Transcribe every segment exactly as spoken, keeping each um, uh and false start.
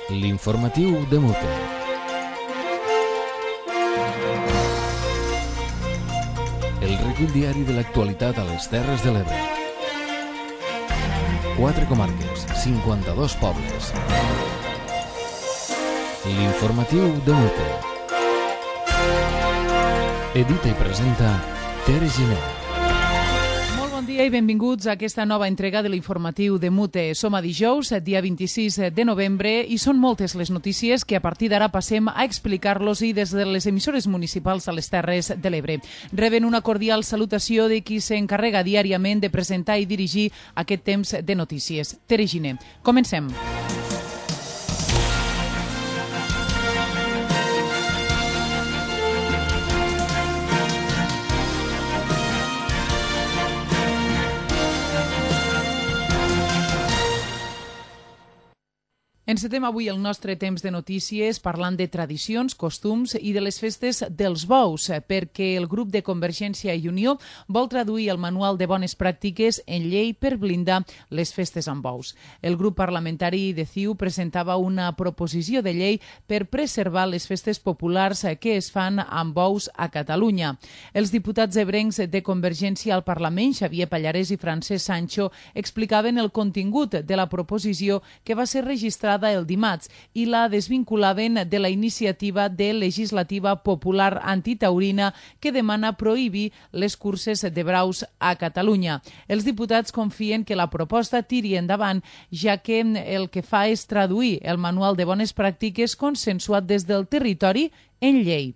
L'informatiu de Mute. El recull diari de l'actualitat a les Terres de l'Ebre. Quatre comarques, cinquanta-dos pobles. L'informatiu de Mute. Edita i presenta Tere Giner. Molt bon dia i benvinguts a aquesta nova entrega de l'informatiu de Mute. Som a dijous, dia vint-i-sis de novembre, i són moltes les notícies que a partir d'ara passem a explicar-los i des de les emissores municipals a les Terres de l'Ebre. Reben una cordial salutació de qui s'encarrega diàriament de presentar i dirigir aquest temps de notícies. Tere Giner. Comencem. Encetem avui el nostre temps de notícies parlant de tradicions, costums i de les festes dels bous, perquè el grup de Convergència i Unió vol traduir el manual de bones pràctiques en llei per blindar les festes amb bous. El grup parlamentari de C I U presentava una proposició de llei per preservar les festes populars que es fan amb bous a Catalunya. Els diputats ebrencs de Convergència al Parlament, Xavier Pallarès i Francesc Sancho, explicaven el contingut de la proposició que va ser registrada el dimarts i la desvinculaven de la iniciativa de legislativa popular antitaurina que demana prohibir les curses de braus a Catalunya. Els diputats confien que la proposta tiri endavant, ja que el que fa és traduir el manual de bones pràctiques consensuat des del territori en llei.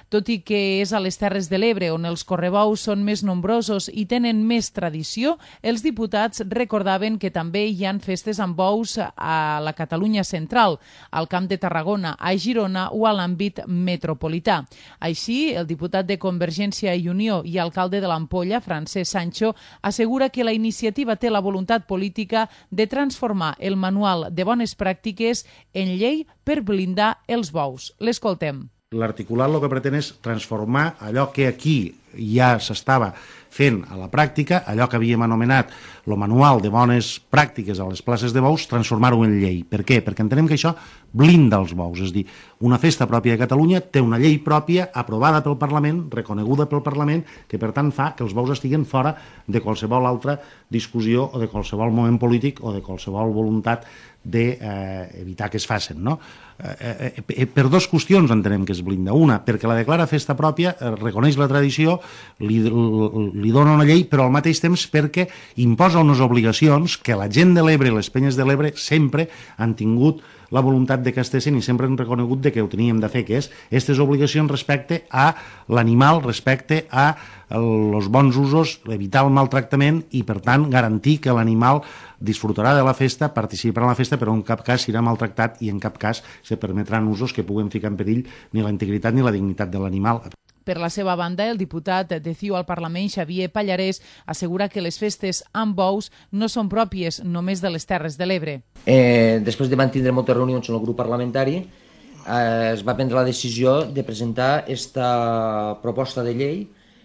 Tot i que és a les Terres de l'Ebre on els correbous són més nombrosos i tenen més tradició, els diputats recordaven que també hi han festes amb bous a la Catalunya central, al Camp de Tarragona, a Girona o a l'àmbit metropolità. Així, el diputat de Convergència i Unió i alcalde de l'Ampolla, Francesc Sancho, assegura que la iniciativa té la voluntat política de transformar el manual de bones pràctiques en llei per blindar els bous. L'escoltem. L'articulat el que pretén és transformar allò que aquí ja s'estava fent a la pràctica, allò que havíem anomenat el manual de bones pràctiques a les places de bous, transformar-ho en llei. Per què? Perquè entenem que això blinda els bous. És a dir, una festa pròpia de Catalunya té una llei pròpia aprovada pel Parlament, reconeguda pel Parlament, que per tant fa que els bous estiguen fora de qualsevol altra discussió o de qualsevol moment polític o de qualsevol voluntat d'evitar eh, que es facin, no? Eh, eh, per dues qüestions entenem que es blinda. Una, perquè la declara festa pròpia, eh, reconeix la tradició, li, li dona una llei, però al mateix temps perquè imposa unes obligacions que la gent de l'Ebre i les penyes de l'Ebre sempre han tingut la voluntat de que estessin i sempre han reconegut de que ho teníem de fer, que és aquestes obligacions respecte a l'animal, respecte a els bons usos, evitar el maltractament i, per tant, garantir que l'animal disfrutarà de la festa, participarà en la festa, però en cap cas serà maltractat i en cap cas se permetran usos que puguen ficar en perill ni la integritat ni la dignitat de l'animal. Per la seva banda, el diputat de C I U al Parlament, Xavier Pallarès, assegura que les festes amb bous no són pròpies només de les Terres de l'Ebre. Eh, després de mantenir moltes reunions en el grup parlamentari, eh, es va prendre la decisió de presentar aquesta proposta de llei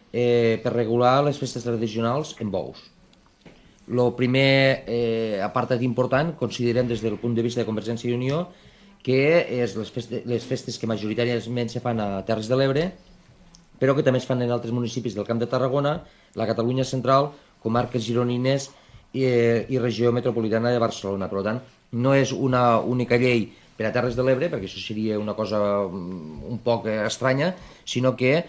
eh, per regular les festes tradicionals en bous. El primer eh, apartat important, considerem des del punt de vista de Convergència i Unió, que és les festes, les festes que majoritàriament se fan a Terres de l'Ebre, però que també es fan en altres municipis del Camp de Tarragona, la Catalunya central, comarques gironines i, i regió metropolitana de Barcelona. Per tant, no és una única llei per a Terres de l'Ebre, perquè això seria una cosa un poc estranya, sinó que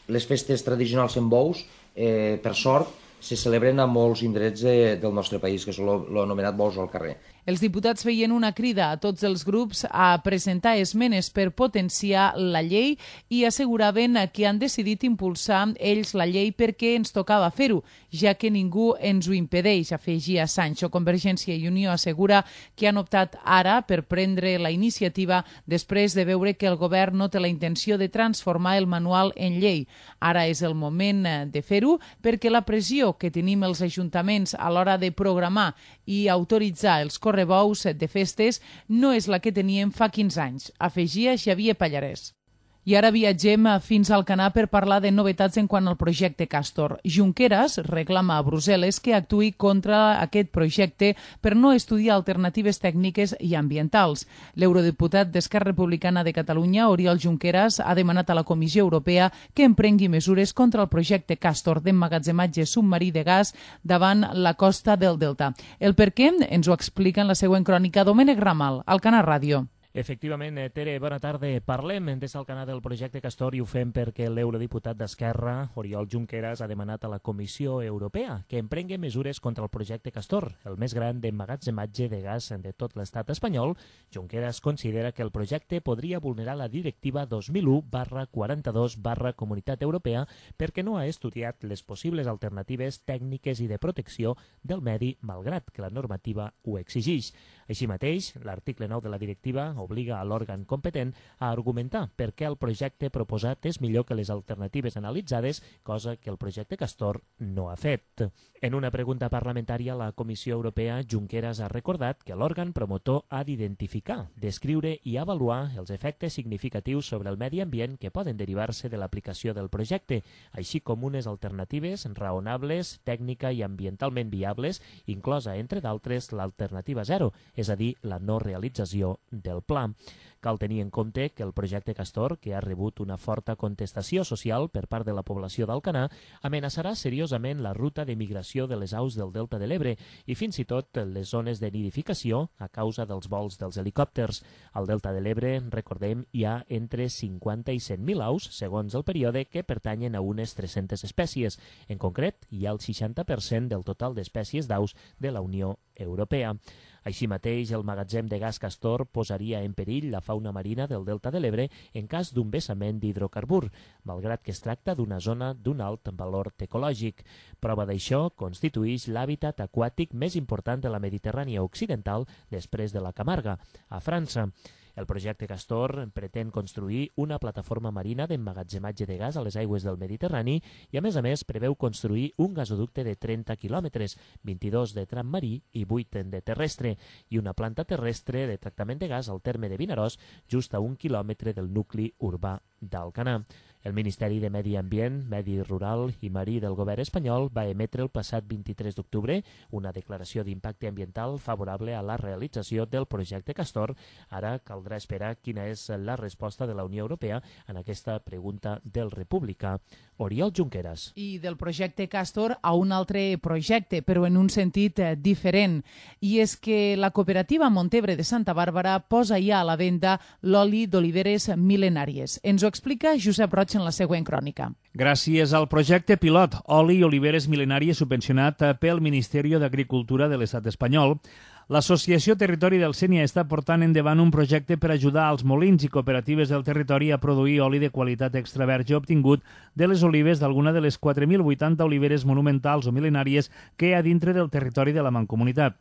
les festes tradicionals en bous, eh, per sort, se celebren a molts indrets de, del nostre país, que són l'anomenat bous al carrer. Els diputats feien una crida a tots els grups a presentar esmenes per potenciar la llei i asseguraven que han decidit impulsar ells la llei perquè ens tocava fer-ho, ja que ningú ens ho impedeix, afegia Sancho. Convergència i Unió assegura que han optat ara per prendre la iniciativa després de veure que el govern no té la intenció de transformar el manual en llei. Ara és el moment de fer-ho perquè la pressió que tenim els ajuntaments a l'hora de programar i autoritzar els correbous de festes no és la que teníem fa quinze anys, afegia Xavier Pallarès. I ara viatgem fins al Canà per parlar de novetats en quant al projecte Castor. Junqueras reclama a Brussel·les que actuï contra aquest projecte per no estudiar alternatives tècniques i ambientals. L'eurodiputat d'Esquerra Republicana de Catalunya, Oriol Junqueras, ha demanat a la Comissió Europea que emprengui mesures contra el projecte Castor d'emmagatzematge submarí de gas davant la costa del Delta. El per què ens ho explica en la següent crònica Domènec Ramal, al Canà Ràdio. Efectivament, Tere, bona tarda. Parlem des del Canà del projecte Castor i ho fem perquè l'eurodiputat d'Esquerra, Oriol Junqueras, ha demanat a la Comissió Europea que emprengui mesures contra el projecte Castor, el més gran d'emmagatzematge de gas de tot l'estat espanyol. Junqueras considera que el projecte podria vulnerar la directiva dos mil u barra quaranta-dos barra Comunitat Europea perquè no ha estudiat les possibles alternatives tècniques i de protecció del medi, malgrat que la normativa ho exigeix. Així mateix, l'article nou de la directiva obliga a l'òrgan competent a argumentar per què el projecte proposat és millor que les alternatives analitzades, cosa que el projecte Castor no ha fet. En una pregunta parlamentària, la Comissió Europea, Junqueras ha recordat que l'òrgan promotor ha d'identificar, descriure i avaluar els efectes significatius sobre el medi ambient que poden derivar-se de l'aplicació del projecte, així com unes alternatives raonables, tècnica i ambientalment viables, inclosa, entre d'altres, l'alternativa zero, és a dir, la no realització del pla. Cal tenir en compte que el projecte Castor, que ha rebut una forta contestació social per part de la població d'Alcanar, amenaçarà seriosament la ruta de migració de les aus del Delta de l'Ebre i fins i tot les zones de nidificació a causa dels vols dels helicòpters. Al Delta de l'Ebre, recordem, hi ha entre cinquanta i cent mil aus, segons el període, que pertanyen a unes tres-centes espècies. En concret, hi ha el seixanta per cent del total d'espècies d'aus de la Unió Europea. Així mateix, el magatzem de gas Castor posaria en perill la fauna marina del Delta de l'Ebre en cas d'un vessament d'hidrocarbur, malgrat que es tracta d'una zona d'un alt valor ecològic. Prova d'això constitueix l'hàbitat aquàtic més important de la Mediterrània occidental després de la Camarga, a França. El projecte Castor pretén construir una plataforma marina d'emmagatzematge de gas a les aigües del Mediterrani i, a més a més, preveu construir un gasoducte de trenta quilòmetres, vint-i-dos de tram marí i vuit de terrestre, i una planta terrestre de tractament de gas al terme de Vinaròs, just a un quilòmetre del nucli urbà d'Alcanar. El Ministeri de Medi Ambient, Medi Rural i Marí del govern espanyol va emetre el passat vint-i-tres d'octubre una declaració d'impacte ambiental favorable a la realització del projecte Castor. Ara caldrà esperar quina és la resposta de la Unió Europea en aquesta pregunta del republicà Oriol Junqueras. I del projecte Castor a un altre projecte, però en un sentit eh, diferent. I és que la cooperativa Montebre de Santa Bàrbara posa ja a la venda l'oli d'oliveres mil·lenàries. Ens ho explica Josep Roig en la següent crònica. Gràcies al projecte pilot Oli i Oliveres Mil·lenàries subvencionat pel Ministeri d'Agricultura de l'Estat espanyol, l'Associació Territori del Sénia està portant endavant un projecte per ajudar als molins i cooperatives del territori a produir oli de qualitat extra verge obtingut de les olives d'alguna de les quatre mil vuitanta oliveres monumentals o mil·lenàries que hi ha dintre del territori de la Mancomunitat.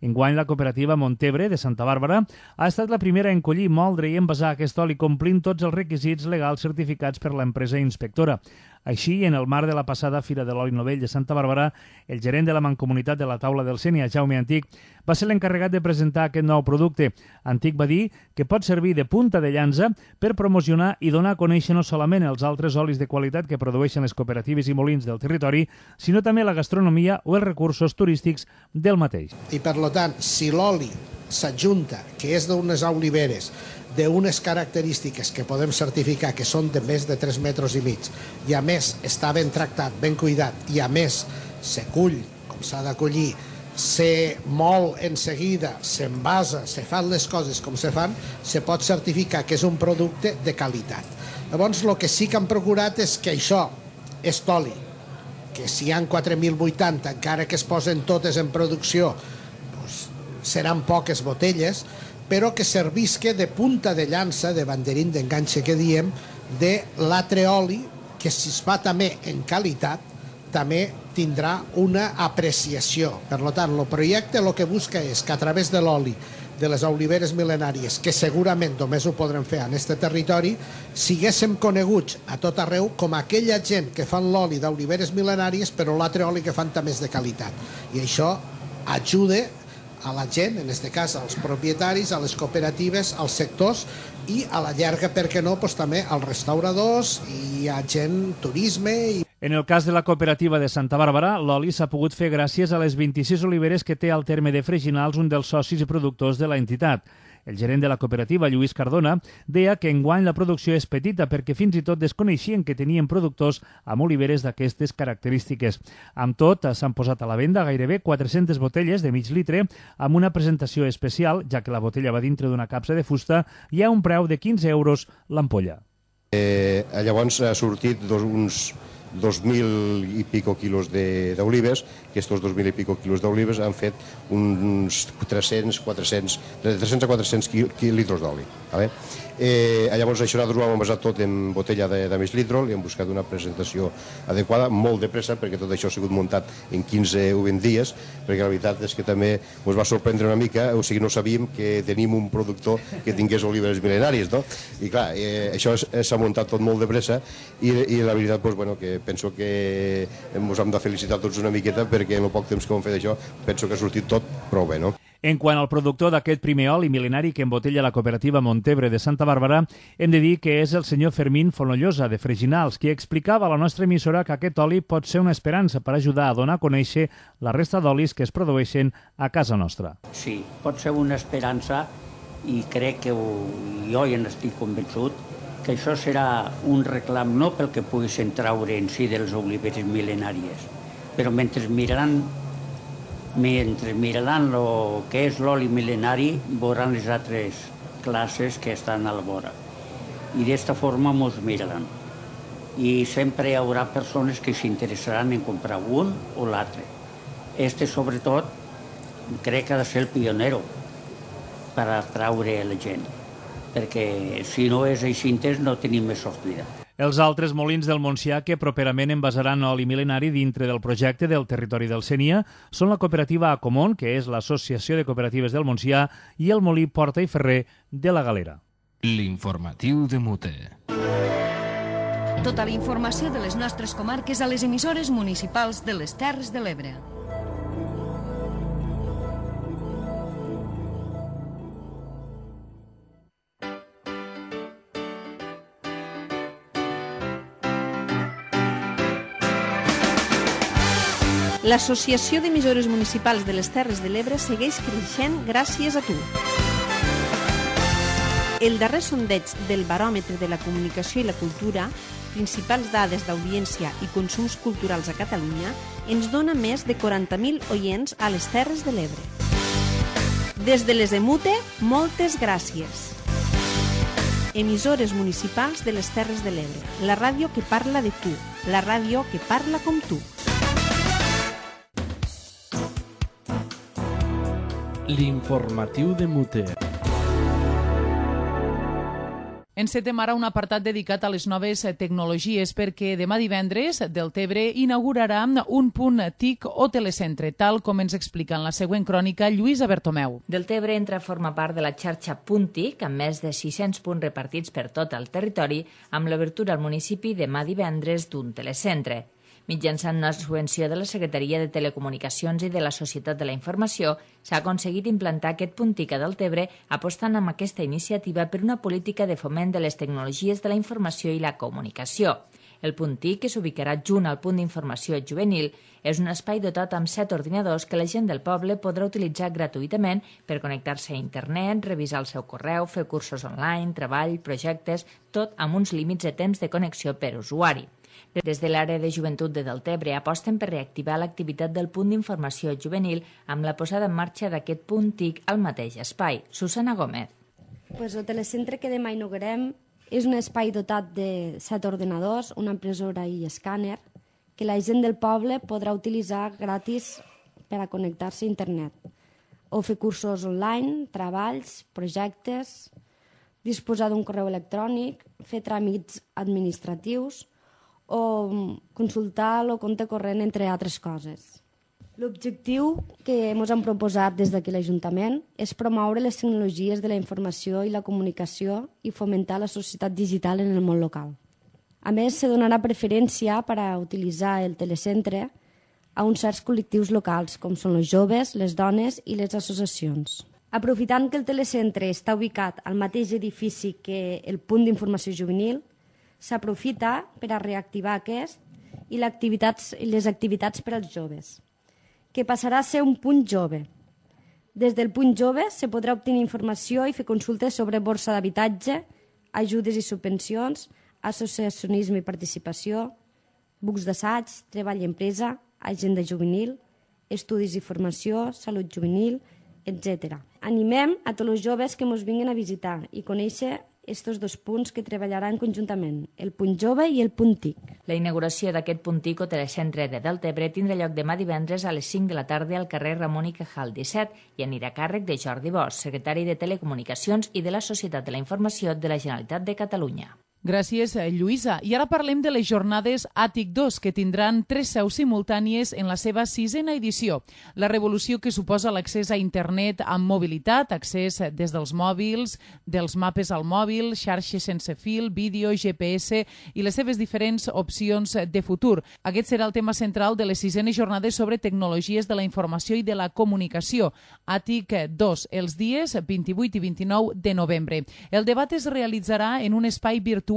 Enguany, la cooperativa Montebre de Santa Bàrbara ha estat la primera a encollir, moldre i envasar aquest oli complint tots els requisits legals certificats per l'empresa inspectora. Així, en el marc de la passada Fira de l'Oli Novell de Santa Bàrbara, el gerent de la Mancomunitat de la Taula del Sénia, Jaume Antic, va ser l'encarregat de presentar aquest nou producte. Antic va dir que pot servir de punta de llança per promocionar i donar a conèixer no solament els altres olis de qualitat que produeixen les cooperatives i molins del territori, sinó també la gastronomia o els recursos turístics del mateix. I per tant, si l'oli s'adjunta, que és d'unes oliveres, d'unes característiques que podem certificar que són de més de tres metres i mig, i a més està ben tractat, ben cuidat, i a més se cull com s'ha de collir, se mol en seguida, s'envasa, se fan les coses com se fan, se pot certificar que és un producte de qualitat. Llavors, el que sí que han procurat és que això és oli, que si hi ha quatre mil vuitanta, encara que es posen totes en producció, doncs, seran poques botelles, però que servisca de punta de llança, de banderín d'enganxe que diem, de l'altre oli, que si es fa també en qualitat, també tindrà una apreciació. Per tant, el projecte el que busca és que a través de l'oli de les oliveres mil·lenàries, que segurament només ho podrem fer en aquest territori, siguéssim coneguts a tot arreu com aquella gent que fan l'oli d'oliveres mil·lenàries, però l'altre oli que fan també és de qualitat. I això ajuda a la gent, en aquest cas als propietaris, a les cooperatives, als sectors i a la llarga, per què no, doncs, també als restauradors i a gent, turisme. I... En el cas de la cooperativa de Santa Bàrbara, l'oli s'ha pogut fer gràcies a les vint-i-sis oliveres que té al terme de Freginals, un dels socis i productors de la entitat. El gerent de la cooperativa, Lluís Cardona, deia que enguany la producció és petita perquè fins i tot desconeixien que tenien productors amb oliveres d'aquestes característiques. Amb tot, s'han posat a la venda gairebé quatre-centes botelles de mig litre amb una presentació especial, ja que la botella va dintre d'una capsa de fusta i a un preu de quinze euros l'ampolla. Eh, llavors ha sortit dos, uns dos mil i pico quilos d'olives, que aquests dos mil i pico quilos d'olives han fet uns tres-cents, quatre-cents, de tres-cents a quatre-cents litres d'oli. Vale? Eh, llavors això nosaltres ho hem envasat tot en botella de, de mig litre, li hem buscat una presentació adequada, molt de pressa, perquè tot això ha sigut muntat en quinze o vint dies, perquè la veritat és que també ens va sorprendre una mica, o sigui, no sabíem que tenim un productor que tingués oliveres mil·lenàries, no? I clar, eh, això s'ha muntat tot molt de pressa i, i la veritat, doncs, bueno, que penso que ens hem de felicitar tots una miqueta perquè en el poc temps que hem fet això penso que ha sortit tot prou bé, no? En quant al productor d'aquest primer oli mil·lenari que embotella la cooperativa Montebre de Santa Bàrbara, hem de dir que és el senyor Fermín Fonollosa, de Freginals, qui explicava a la nostra emissora que aquest oli pot ser una esperança per ajudar a donar a conèixer la resta d'olis que es produeixen a casa nostra. Sí, pot ser una esperança i crec que ho, jo ja n'estic convençut que això serà un reclam no pel que poguessin traure en si dels oliveres mil·lenàries, però mentre miraran mentre miraran el que és l'oli mil·lenari, veuran les altres classes que estan a la vora. I d'esta forma ens miraran. I sempre hi haurà persones que s'interessaran en comprar un o l'altre. Este, sobretot, crec que ha de ser el pionero per atraure la gent, perquè si no és així no tenim més sortida. Els altres molins del Montsià que properament envasaran oli mil·lenari dintre del projecte del territori del Sénia són la cooperativa Acomón, que és l'Associació de Cooperatives del Montsià, i el molí Porta i Ferrer de la Galera. L'informatiu de Mute. Tota la informació de les nostres comarques a les emissores municipals de les Terres de l'Ebre. L'Associació d'Emissores Municipals de les Terres de l'Ebre segueix creixent gràcies a tu. El darrer sondeig del Baròmetre de la Comunicació i la Cultura, principals dades d'audiència i consums culturals a Catalunya, ens dona més de quaranta mil oients a les Terres de l'Ebre. Des de les Emute, moltes gràcies. Emissores municipals de les Terres de l'Ebre, la ràdio que parla de tu, la ràdio que parla com tu. L'informatiu de Mute. Encetem ara un apartat dedicat a les noves tecnologies perquè demà divendres Deltebre inaugurarà un punt T I C o telecentre, tal com ens explica en la següent crònica Lluïsa Bertomeu. Deltebre entra a formar part de la xarxa Punt T I C amb més de sis-cents punts repartits per tot el territori amb l'obertura al municipi demà divendres d'un telecentre. Mitjançant una subvenció de la Secretaria de Telecomunicacions i de la Societat de la Informació, s'ha aconseguit implantar aquest punt T I C a Deltebre apostant amb aquesta iniciativa per una política de foment de les tecnologies de la informació i la comunicació. El punt T I C, que s'ubicarà junt al punt d'informació juvenil, és un espai dotat amb set ordinadors que la gent del poble podrà utilitzar gratuïtament per connectar-se a internet, revisar el seu correu, fer cursos online, treball, projectes, tot amb uns límits de temps de connexió per usuari. Des de l'àrea de joventut de Deltebre aposten per reactivar l'activitat del punt d'informació juvenil amb la posada en marxa d'aquest punt T I C al mateix espai. Susana Gómez. Pues el telecentre que demà inaugurem és un espai dotat de set ordenadors, una impressora i escàner que la gent del poble podrà utilitzar gratis per a connectar-se a internet o fer cursos online, treballs, projectes, disposar d'un correu electrònic, fer tràmits administratius o consultar el compte corrent, entre altres coses. L'objectiu que ens hem proposat des d'aquí l'Ajuntament és promoure les tecnologies de la informació i la comunicació i fomentar la societat digital en el món local. A més, se donarà preferència per a utilitzar el telecentre a uns certs col·lectius locals, com són els joves, les dones i les associacions. Aprofitant que el telecentre està ubicat al mateix edifici que el punt d'informació juvenil, s'aprofita per a reactivar aquest i les activitats per als joves, que passarà a ser un punt jove. Des del punt jove se podrà obtenir informació i fer consultes sobre borsa d'habitatge, ajudes i subvencions, associacionisme i participació, bucs d'assaig, treball i empresa, agenda juvenil, estudis i formació, salut juvenil, etcètera. Animem a tots els joves que ens vinguin a visitar i conèixer aquests dos punts que treballaran conjuntament, el punt jove i el punt T I C. La inauguració d'aquest punt T I C o telecentre de Deltebre tindrà lloc demà divendres a les cinc de la tarda al carrer Ramon i Cajal disset i anirà a càrrec de Jordi Bosch, secretari de Telecomunicacions i de la Societat de la Informació de la Generalitat de Catalunya. Gràcies, Lluïsa. I ara parlem de les jornades A T I C dos, que tindran tres seus simultànies en la seva sisena edició. La revolució que suposa l'accés a internet amb mobilitat, accés des dels mòbils, dels mapes al mòbil, xarxes sense fil, vídeo, G P S i les seves diferents opcions de futur. Aquest serà el tema central de les sisenes jornades sobre tecnologies de la informació i de la comunicació. A T I C dos, els dies vint-i-vuit i vint-i-nou de novembre. El debat es realitzarà en un espai virtual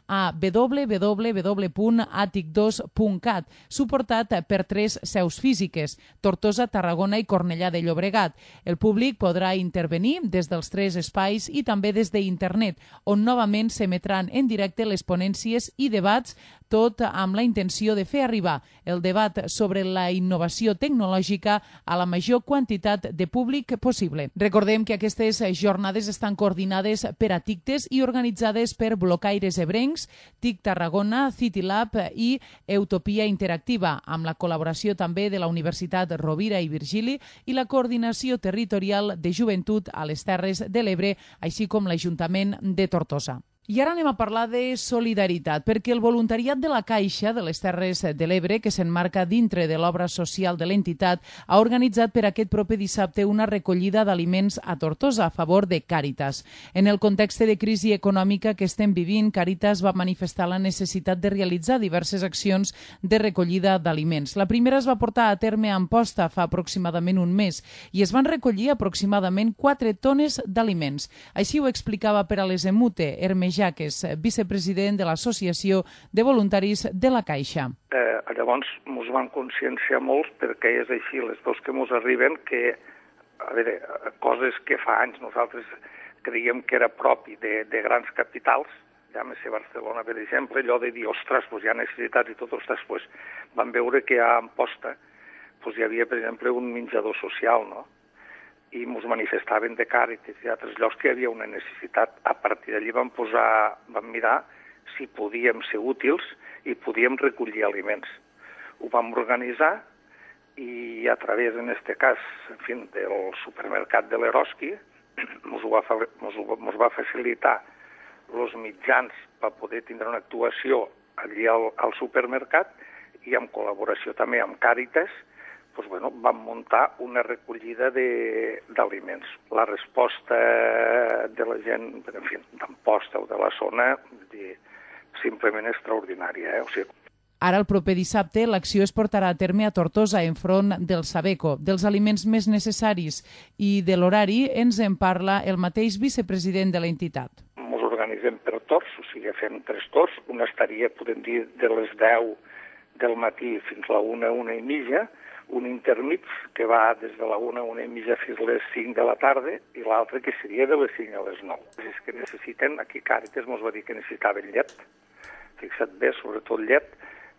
a w w w punt a t i c dos punt cat, suportat per tres seus físiques, Tortosa, Tarragona i Cornellà de Llobregat. El públic podrà intervenir des dels tres espais i també des d'internet, on novament s'emetran en directe les ponències i debats, tot amb la intenció de fer arribar el debat sobre la innovació tecnològica a la major quantitat de públic possible. Recordem que aquestes jornades estan coordinades per a TICTES i organitzades per Blocaires Ebrencs, T I C Tarragona, CityLab i Utopia Interactiva, amb la col·laboració també de la Universitat Rovira i Virgili i la Coordinació Territorial de Joventut a les Terres de l'Ebre, així com l'Ajuntament de Tortosa. I ara anem a parlar de solidaritat, perquè el voluntariat de la Caixa de les Terres de l'Ebre, que s'emmarca dintre de l'obra social de l'entitat, ha organitzat per aquest proper dissabte una recollida d'aliments a Tortosa a favor de Càritas. En el context de crisi econòmica que estem vivint, Càritas va manifestar la necessitat de realitzar diverses accions de recollida d'aliments. La primera es va portar a terme a Amposta fa aproximadament un mes i es van recollir aproximadament quatre tones d'aliments. Així ho explicava per a les Emute, Hermes Jaques, vicepresident de l'Associació de Voluntaris de la Caixa. Eh, llavors ens van conscienciar molt, perquè és així, les veus que ens arriben, que a veure, coses que fa anys nosaltres creiem que era propi de, de grans capitals, llámese Barcelona, per exemple, allò de dir, ostres, pues hi ha necessitats i tot, ostres, pues van veure que a Amposta pues hi havia, per exemple, un menjador social, no? I ens manifestaven de Càritas i d'altres llocs que hi havia una necessitat. A partir d'allí vam posar, vam mirar si podíem ser útils i podíem recollir aliments. Ho vam organitzar i a través, en aquest cas, en fi, del supermercat de l'Eroski, ens va, va facilitar els mitjans per poder tindre una actuació allí al, al supermercat i en col·laboració també amb Càritas, pues bueno, vam muntar una recollida d'aliments. La resposta de la gent, en fi, d'Amposta o de la zona, dir, simplement extraordinària. Eh? O sigui... Ara, el proper dissabte, l'acció es portarà a terme a Tortosa, enfront del Sabeco. Dels aliments més necessaris i de l'horari ens en parla el mateix vicepresident de l'entitat. Ens organitzem per torns, o sigui, fem tres torns. Una estaria, podem dir, de les deu del matí fins a la una, una i mitja, un intermig que va des de la una, una i mitja fins a les cinc de la tarda i l'altre que seria de les cinc a les nou. És que necessiten, aquí Càritas ens va dir que necessitaven llet, fixa't bé, sobretot llet,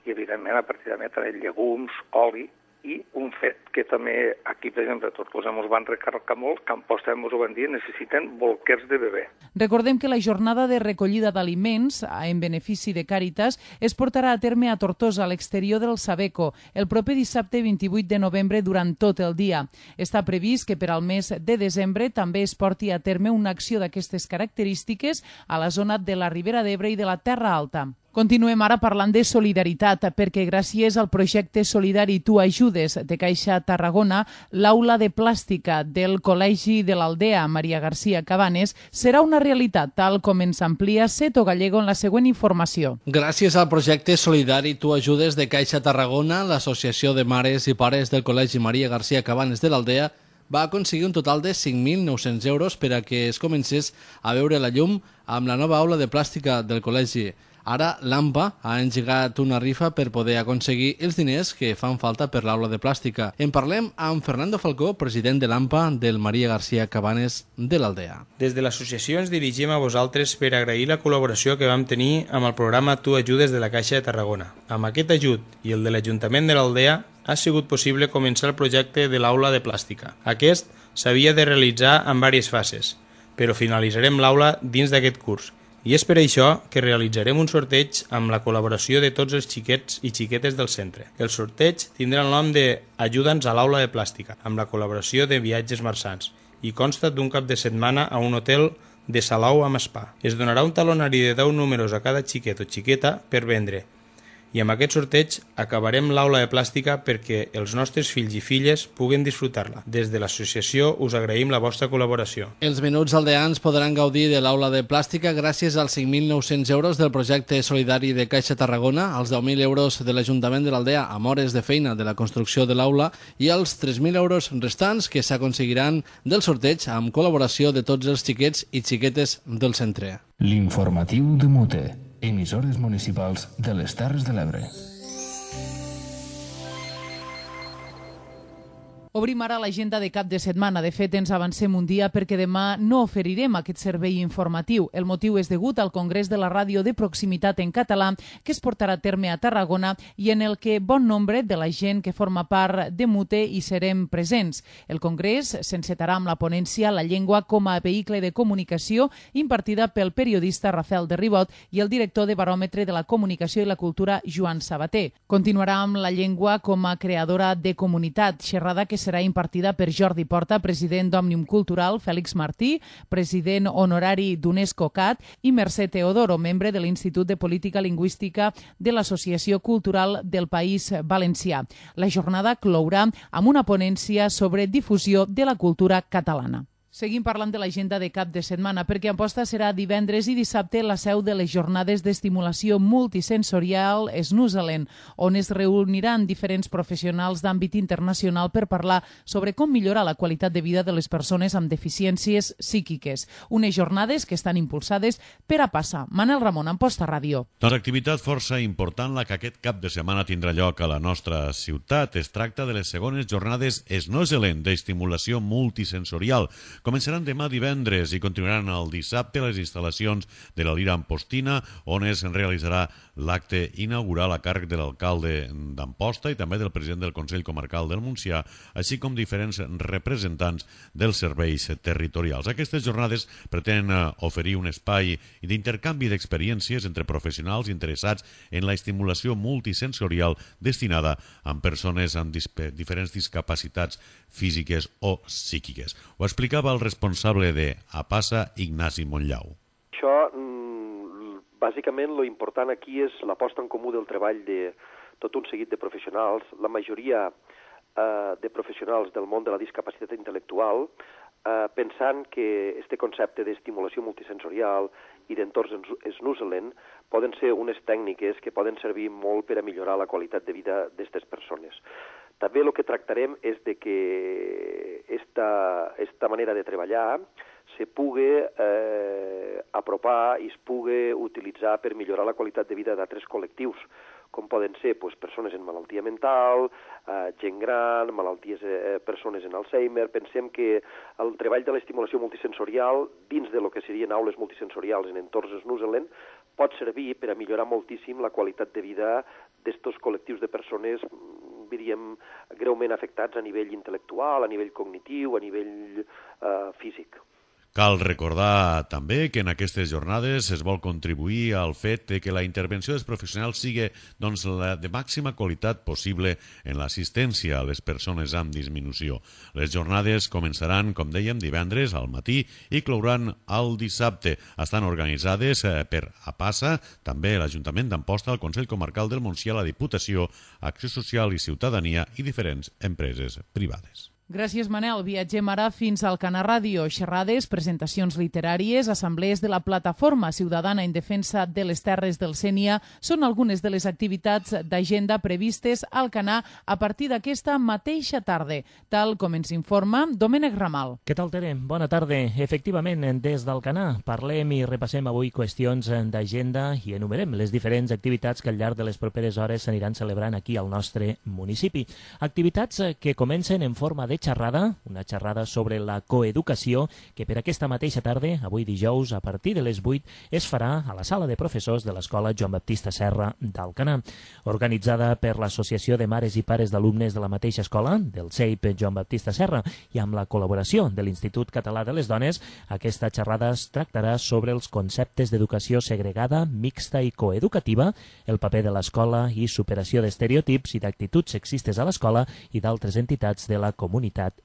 i evidentment a partir de també llegums, oli, i un fet que també aquí, per exemple, a Tortosa ens van recarregar molt, que a Amposta ens ho van dir, necessiten bolquers de bebè. Recordem que la jornada de recollida d'aliments en benefici de Càritas es portarà a terme a Tortosa, a l'exterior del Sabeco, el proper dissabte vint-i-vuit de novembre durant tot el dia. Està previst que per al mes de desembre també es porti a terme una acció d'aquestes característiques a la zona de la Ribera d'Ebre i de la Terra Alta. Continuem ara parlant de solidaritat, perquè gràcies al projecte solidari Tu Ajudes de Caixa Tarragona, l'aula de plàstica del Col·legi de l'Aldea Maria García Cabanes serà una realitat, tal com ens amplia Seto Gallego en la següent informació. Gràcies al projecte solidari Tu Ajudes de Caixa Tarragona, l'Associació de Mares i Pares del Col·legi Maria García Cabanes de l'Aldea va aconseguir un total de cinc mil nou-cents euros per a que es comencés a veure la llum amb la nova aula de plàstica del col·legi. Ara l'AMPA ha engegat una rifa per poder aconseguir els diners que fan falta per l'aula de plàstica. En parlem amb Fernando Falcó, president de l'AMPA del Maria García Cabanes de l'Aldea. Des de l'associació ens dirigim a vosaltres per agrair la col·laboració que vam tenir amb el programa Tu Ajudes de la Caixa de Tarragona. Amb aquest ajut i el de l'Ajuntament de l'Aldea ha sigut possible començar el projecte de l'aula de plàstica. Aquest s'havia de realitzar en diverses fases, però finalitzarem l'aula dins d'aquest curs. I és per això que realitzarem un sorteig amb la col·laboració de tots els xiquets i xiquetes del centre. El sorteig tindrà el nom de Ajuda'ns a l'aula de plàstica, amb la col·laboració de Viatges Marsans, i consta d'un cap de setmana a un hotel de Salou amb spa. Es donarà un talonari de deu números a cada xiquet o xiqueta per vendre. I amb aquest sorteig acabarem l'aula de plàstica perquè els nostres fills i filles puguen disfrutar-la. Des de l'associació us agraïm la vostra col·laboració. Els menuts aldeans podran gaudir de l'aula de plàstica gràcies als cinc mil nou-cents euros del projecte solidari de Caixa Tarragona, als deu mil euros de l'Ajuntament de l'Aldea amb hores de feina de la construcció de l'aula i als tres mil euros restants que s'aconseguiran del sorteig amb col·laboració de tots els xiquets i xiquetes del centre. L'informatiu de Mute. Emissores municipals de les Terres de l'Ebre. Obrim ara l'agenda de cap de setmana. De fet, ens avancem un dia perquè demà no oferirem aquest servei informatiu. El motiu és degut al Congrés de la Ràdio de Proximitat en català que es portarà a terme a Tarragona i en el que bon nombre de la gent que forma part de Mute hi serem presents. El Congrés s'encetarà amb la ponència La llengua com a vehicle de comunicació impartida pel periodista Rafael de Ribot i el director de Baròmetre de la Comunicació i la Cultura, Joan Sabater. Continuarà amb la llengua com a creadora de comunitat, xerrada que serà impartida per Jordi Porta, president d'Òmnium Cultural, Fèlix Martí, president honorari d'UNESCO CAT i Mercè Teodoro, membre de l'Institut de Política Lingüística de l'Associació Cultural del País Valencià. La jornada clourà amb una ponència sobre difusió de la cultura catalana. Seguim parlant de l'agenda de cap de setmana, perquè Amposta serà divendres i dissabte la seu de les jornades d'estimulació multisensorial Snoozeland, on es reuniran diferents professionals d'àmbit internacional per parlar sobre com millorar la qualitat de vida de les persones amb deficiències psíquiques. Unes jornades que estan impulsades per a passar. Manel Ramon, Amposta Ràdio. Doncs activitat força important la que aquest cap de setmana tindrà lloc a la nostra ciutat. Es tracta de les segones jornades Snoozeland d'estimulació multisensorial. Començaran demà divendres i continuaran el dissabte a les instal·lacions de la Lira Ampostina, on es realitzarà l'acte inaugural a càrrec de l'alcalde d'Amposta i també del president del Consell Comarcal del Montsià, així com diferents representants dels serveis territorials. Aquestes jornades pretenen oferir un espai d'intercanvi d'experiències entre professionals interessats en la estimulació multisensorial destinada a persones amb diferents discapacitats físiques o psíquiques. Ho explicava el responsable de APASA, Ignasi Montllau. Això, bàsicament, lo important aquí és la posta en comú del treball de tot un seguit de professionals, la majoria eh, de professionals del món de la discapacitat intel·lectual, eh, pensant que este concepte d'estimulació multisensorial i d'entorns Snoozeland poden ser unes tècniques que poden servir molt per a millorar la qualitat de vida d'aquestes persones. També el que tractarem és de que esta, esta manera de treballar se pugui eh, apropar i es pugui utilitzar per millorar la qualitat de vida d'altres col·lectius, com poden ser pues, persones en malaltia mental, eh, gent gran, malalties, eh, persones en Alzheimer. Pensem que el treball de l'estimulació multisensorial dins de lo que serien aules multisensorials en entorns Snoozeland pot servir per a millorar moltíssim la qualitat de vida d'estos col·lectius de persones, diríem, greument afectats a nivell intel·lectual, a nivell cognitiu, a nivell eh, físic. Cal recordar també que en aquestes jornades es vol contribuir al fet que la intervenció dels professionals sigui doncs, la de màxima qualitat possible en l'assistència a les persones amb disminució. Les jornades començaran, com dèiem, divendres al matí i clouran el dissabte. Estan organitzades per APASA, també l'Ajuntament d'Amposta, el Consell Comarcal del Montsià, la Diputació, Acció Social i Ciutadania i diferents empreses privades. Gràcies, Manel. Viatgem ara fins al Canà Ràdio. Xerrades, presentacions literàries, assemblees de la Plataforma Ciutadana en Defensa de les Terres del Sénia són algunes de les activitats d'agenda previstes al Canà a partir d'aquesta mateixa tarda, tal com ens informa Domènec Ramal. Què tal, Tere? Bona tarda. Efectivament, des del Canà parlem i repassem avui qüestions d'agenda i enumerem les diferents activitats que al llarg de les properes hores s'aniran celebrant aquí al nostre municipi. Activitats que comencen en forma de xerrada, una xerrada sobre la coeducació que per aquesta mateixa tarda, avui dijous, a partir de les vuit, es farà a la sala de professors de l'Escola Joan Baptista Serra d'Alcanar. Organitzada per l'Associació de Mares i Pares d'Alumnes de la mateixa escola, del C E I P Joan Baptista Serra, i amb la col·laboració de l'Institut Català de les Dones, aquesta xerrada es tractarà sobre els conceptes d'educació segregada, mixta i coeducativa, el paper de l'escola i superació d'estereotips i d'actituds sexistes a l'escola i d'altres entitats de la comunitat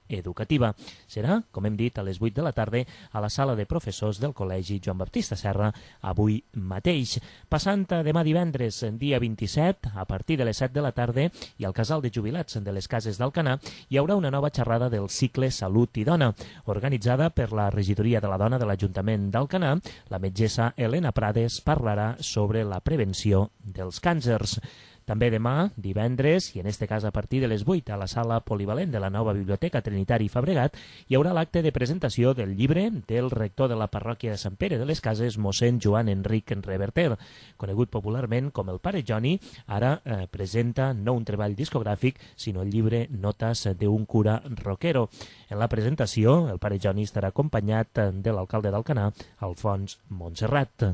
educativa. Serà, com hem dit, a les vuit de la tarda a la sala de professors del Col·legi Joan Baptista Serra, avui mateix. Passant a demà divendres, dia vint-i-set, a partir de les set de la tarda, i al casal de jubilats de les Cases d'Alcanar, hi haurà una nova xerrada del cicle Salut i Dona, organitzada per la Regidoria de la Dona de l'Ajuntament d'Alcanar. La metgessa Helena Prades parlarà sobre la prevenció dels càncers. També demà, divendres, i en este cas a partir de les vuit, a la sala polivalent de la nova Biblioteca Trinitari Fabregat, hi haurà l'acte de presentació del llibre del rector de la parròquia de Sant Pere de les Cases, mossèn Joan Enric Reverter, conegut popularment com el Pare Joni. Ara eh, presenta no un treball discogràfic, sinó el llibre Notes d'un cura rockero. En la presentació, el Pare Joni estarà acompanyat de l'alcalde d'Alcanar, Alfons Montserrat.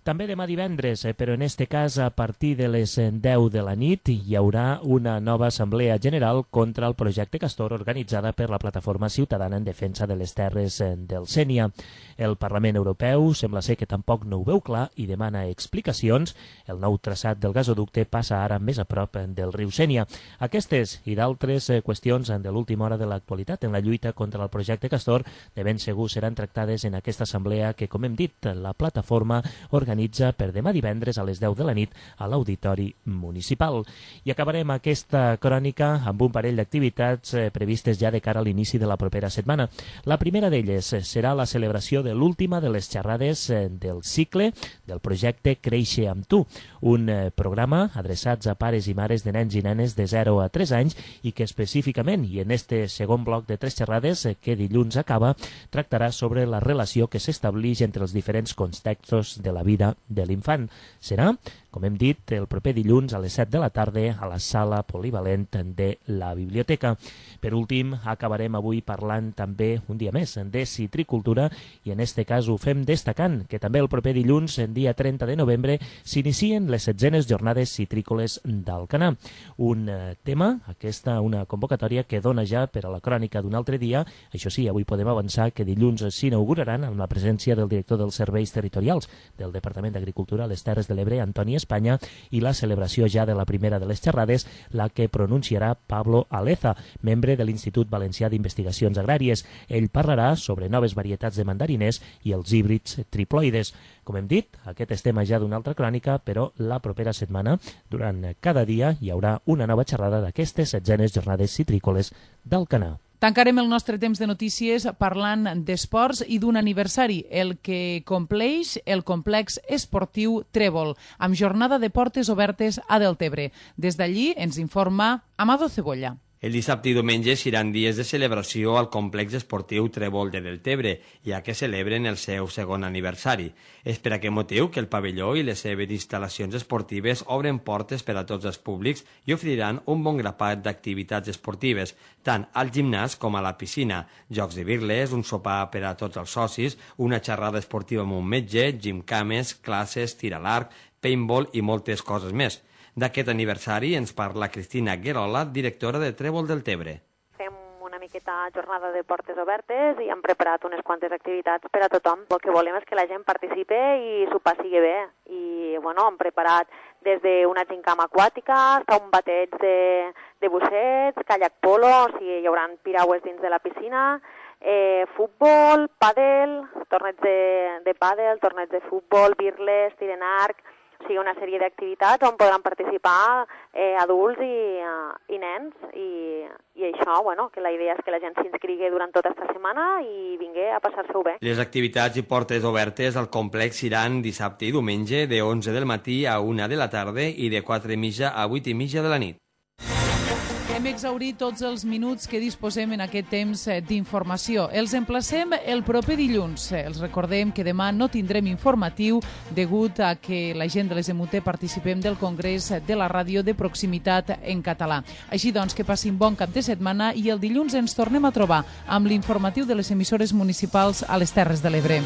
També demà divendres, però en este cas a partir de les deu de la nit, hi haurà una nova assemblea general contra el projecte Castor organitzada per la Plataforma Ciutadana en Defensa de les Terres del Sénia. El Parlament Europeu sembla ser que tampoc no ho veu clar i demana explicacions. El nou traçat del gasoducte passa ara més a prop del riu Sénia. Aquestes i d'altres qüestions de l'última hora de l'actualitat en la lluita contra el projecte Castor de ben segur seran tractades en aquesta assemblea que, com hem dit, la plataforma organitza organitza per demà divendres a les deu de la nit a l'Auditori Municipal. I acabarem aquesta crònica amb un parell d'activitats eh, previstes ja de cara a l'inici de la propera setmana. La primera d'elles serà la celebració de l'última de les xerrades eh, del cicle del projecte Créixer amb tu, un eh, programa adreçats a pares i mares de nens i nenes de zero a tres anys i que específicament, i en este segon bloc de tres xerrades eh, que dilluns acaba, tractarà sobre la relació que s'estableix entre els diferents contextos de la vida de l'infant. Serà, com hem dit, el proper dilluns a les set de la tarda a la sala polivalent de la biblioteca. Per últim, acabarem avui parlant també, un dia més, de citricultura i en este cas ho fem destacant que també el proper dilluns, en dia trenta de novembre, s'inicien les setzenes jornades citrícoles d'Alcanar. Un eh, tema, aquesta, una convocatòria que dona ja per a la crònica d'un altre dia. Això sí, avui podem avançar que dilluns s'inauguraran amb la presència del director dels serveis territorials del Departament d'Agricultura a les Terres de l'Ebre, Antoni Espanya, i la celebració ja de la primera de les xerrades, la que pronunciarà Pablo Aleza, membre de l'Institut Valencià d'Investigacions Agràries. Ell parlarà sobre noves varietats de mandariners i els híbrids triploides. Com hem dit, aquest és tema ja d'una altra crònica, però la propera setmana, durant cada dia, hi haurà una nova xerrada d'aquestes setzenes jornades citrícoles d'Alcanar. Tancarem el nostre temps de notícies parlant d'esports i d'un aniversari, el que compleix el complex esportiu Trèvol, amb jornada de portes obertes a Deltebre. Des d'allí ens informa Amado Cebolla. El dissabte i diumenge seran dies de celebració al complex esportiu Trèvol de Deltebre, ja que celebren el seu segon aniversari. És per aquest motiu que el pavelló i les seves instal·lacions esportives obren portes per a tots els públics i oferiran un bon grapat d'activitats esportives, tant al gimnàs com a la piscina, jocs de birles, un sopar per a tots els socis, una xerrada esportiva amb un metge, gimcames, classes, tir a l'arc, paintball i moltes coses més. D'aquest aniversari ens parla Cristina Guerola, directora de Trèvol del Tebre. Fem una aquesta jornada de portes obertes i hem preparat unes quantes activitats per a tothom. El que volem és que la gent participe i s'ho passi bé. I bueno, hem preparat des d'una gincama aquàtica, fins a un bateig de, de bussets, kayak polo, o sigui, hi haurà piragües dins de la piscina, eh, futbol, pàdel, torneig de, de pàdel, torneig de futbol, birles, tir en arc, o sigui, una sèrie d'activitats on podran participar eh, adults i, uh, i nens i, i això, bueno, que la idea és que la gent s'inscrigui durant tota aquesta setmana i vingui a passar-se-ho bé. Les activitats i portes obertes al complex seran dissabte i diumenge de onze del matí a una de la tarda i de quatre i mitja a vuit i mitja de la nit. Hem exhaurit tots els minuts que disposem en aquest temps d'informació. Els emplacem el proper dilluns. Els recordem que demà no tindrem informatiu degut a que la gent de les M U T participem del Congrés de la Ràdio de Proximitat en català. Així doncs, que passin bon cap de setmana i el dilluns ens tornem a trobar amb l'informatiu de les emissores municipals a les Terres de l'Ebre.